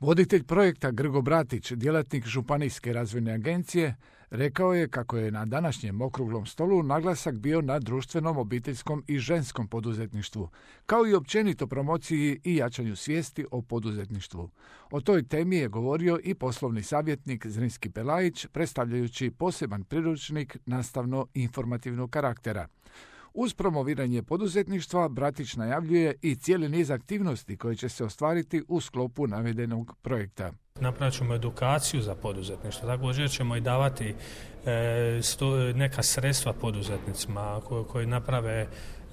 Voditelj projekta Grgo Bratić, djelatnik Županijske razvojne agencije, rekao je kako je na današnjem okruglom stolu naglasak bio na društvenom, obiteljskom i ženskom poduzetništvu, kao i općenito promociji i jačanju svijesti o poduzetništvu. O toj temi je govorio i poslovni savjetnik Zrinski Pelajić, predstavljajući poseban priručnik nastavno-informativnog karaktera. Uz promoviranje poduzetništva, Bratić najavljuje i cijeli niz aktivnosti koje će se ostvariti u sklopu navedenog projekta. Napravit ćemo edukaciju za poduzetništvo, također ćemo i davati neka sredstva poduzetnicima koji naprave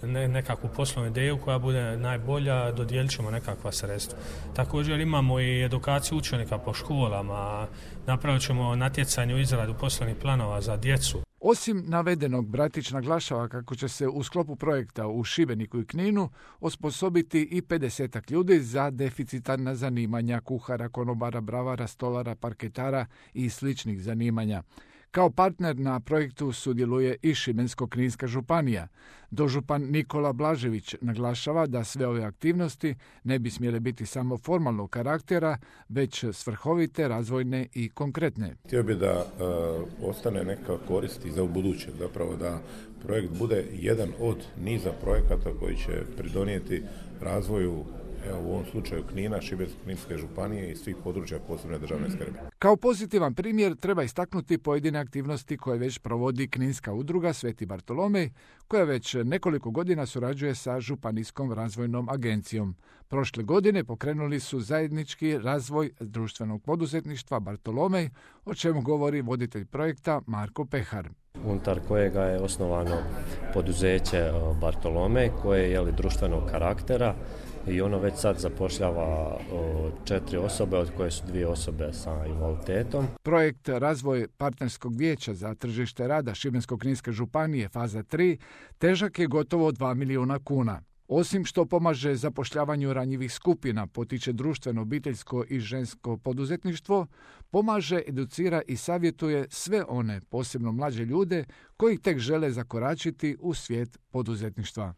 nekakvu poslovnu ideju koja bude najbolja, dodijelit ćemo nekakva sredstva. Također imamo i edukaciju učenika po školama, napravit ćemo natjecanje u izradu poslovnih planova za djecu. Osim navedenog, Bratić naglašava kako će se u sklopu projekta u Šibeniku i Kninu osposobiti i 50 ljudi za deficitarna zanimanja kuhara, konobara, bravara, stolara, parketara i sličnih zanimanja. Kao partner na projektu sudjeluje i Šibensko-kninska županija. Dožupan Nikola Blažević naglašava da sve ove aktivnosti ne bi smjele biti samo formalnog karaktera, već svrhovite, razvojne i konkretne. Htio bi da ostane neka korist i za ubuduće, zapravo da projekt bude jedan od niza projekata koji će pridonijeti razvoju, u ovom slučaju Knina, Šibensko-kninske županije i svih područja posebne državne skrbi. Kao pozitivan primjer treba istaknuti pojedine aktivnosti koje već provodi Kninska udruga Sveti Bartolomej, koja već nekoliko godina surađuje sa Županijskom razvojnom agencijom. Prošle godine pokrenuli su zajednički razvoj društvenog poduzetništva Bartolomej, o čemu govori voditelj projekta Marko Pehar. Unutar kojega je osnovano poduzeće Bartolomej koje je društvenog karaktera i ono već sad zapošljava 4 osobe, od koje su 2 osobe sa invaliditetom. Projekt Razvoj partnerskog vijeća za tržište rada Šibensko-kninske županije faza 3 težak je gotovo 2 milijuna kuna. Osim što pomaže zapošljavanju ranjivih skupina, potiče društveno, obiteljsko i žensko poduzetništvo, pomaže, educira i savjetuje sve one, posebno mlađe ljude, koji tek žele zakoračiti u svijet poduzetništva.